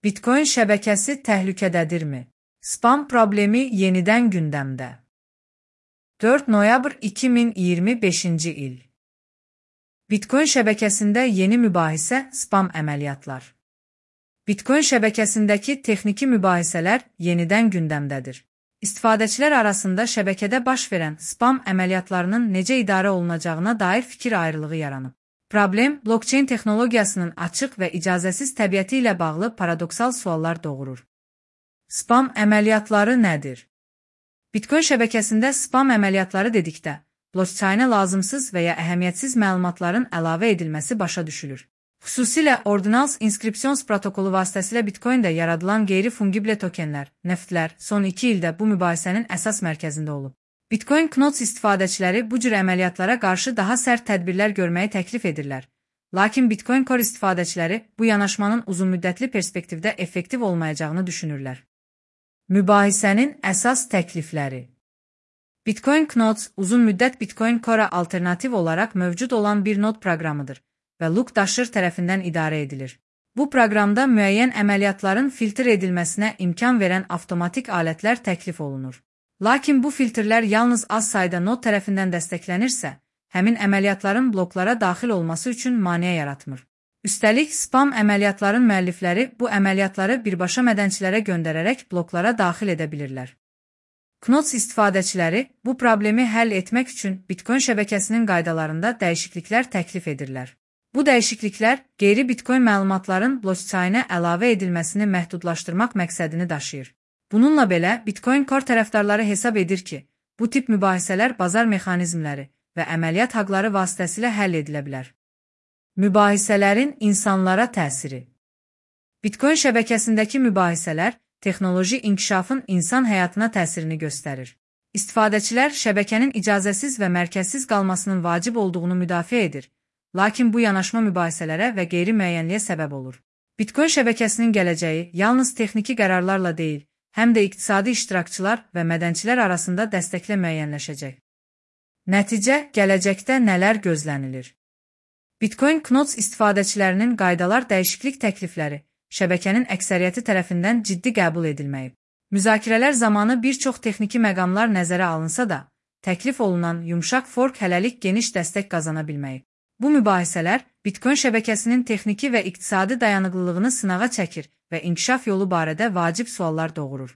Bitcoin şəbəkəsi təhlükədədirmi? Spam problemi yenidən gündəmdə. 4 noyabr 2025-ci il. Bitcoin şəbəkəsində yeni mübahisə, spam əməliyyatlar. Bitcoin şəbəkəsindəki texniki mübahisələr yenidən gündəmdədir. İstifadəçilər arasında şəbəkədə baş verən spam əməliyyatlarının necə idarə olunacağına dair fikir ayrılığı yaranıb. Problem, blockchain texnologiyasının açıq və icazəsiz təbiəti ilə bağlı paradoksal suallar doğurur. Spam əməliyyatları nədir? Bitcoin şəbəkəsində spam əməliyyatları dedikdə, blockchainə lazımsız və ya əhəmiyyətsiz məlumatların əlavə edilməsi başa düşülür. Xüsusilə Ordinals inskripsiyons protokolu vasitəsilə Bitcoin-də yaradılan qeyri-fungible tokenlər, neftlər son 2 ildə bu mübahisənin əsas mərkəzində olub. Bitcoin Knots istifadəçiləri bu cür əməliyyatlara qarşı daha sərt tədbirlər görməyi təklif edirlər. Lakin Bitcoin Core istifadəçiləri bu yanaşmanın uzunmüddətli perspektivdə effektiv olmayacağını düşünürlər. Mübahisənin əsas təklifləri. Bitcoin Knots uzun-müddət Bitcoin Core-a alternativ olaraq mövcud olan bir nod proqramıdır və Luke Dasher tərəfindən idarə edilir. Bu proqramda müəyyən əməliyyatların filtr edilməsinə imkan verən avtomatik alətlər təklif olunur. Lakin bu filtrlər yalnız az sayda nod tərəfindən dəstəklənirsə, həmin əməliyyatların bloklara daxil olması üçün maneə yaratmır. Üstəlik, spam əməliyyatların müəllifləri bu əməliyyatları birbaşa mədənçilərə göndərərək bloklara daxil edə bilirlər. Knots istifadəçiləri bu problemi həll etmək üçün Bitcoin şəbəkəsinin qaydalarında dəyişikliklər təklif edirlər. Bu dəyişikliklər qeyri-Bitcoin məlumatların blockchainə əlavə edilməsini məhdudlaşdırmaq məqsədini daşıyır. Bununla belə, Bitcoin Core tərəfdarları hesab edir ki, bu tip mübahisələr bazar mexanizmləri və əməliyyat haqları vasitəsilə həll edilə bilər. Mübahisələrin insanlara təsiri. Bitcoin şəbəkəsindəki mübahisələr texnoloji inkişafın insan həyatına təsirini göstərir. İstifadəçilər şəbəkənin icazəsiz və mərkəzsiz qalmasının vacib olduğunu müdafiə edir, lakin bu yanaşma mübahisələrə və qeyri-müəyyənliyə səbəb olur. Bitcoin şəbəkəsinin gələcəyi yalnız texniki qərarlarla deyil, həm də iqtisadi iştirakçılar və mədənçilər arasında dəstəklə müəyyənləşəcək. Nəticə, gələcəkdə nələr gözlənilir? Bitcoin Knots istifadəçilərinin qaydalar dəyişiklik təklifləri şəbəkənin əksəriyyəti tərəfindən ciddi qəbul edilməyib. Müzakirələr zamanı bir çox texniki məqamlar nəzərə alınsa da, təklif olunan yumşaq fork hələlik geniş dəstək qazana bilməyib. Bu mübahisələr Bitcoin şəbəkəsinin texniki və iqtisadi dayanıqlılığını sınağa çəkir və inkişaf yolu barədə vacib suallar doğurur.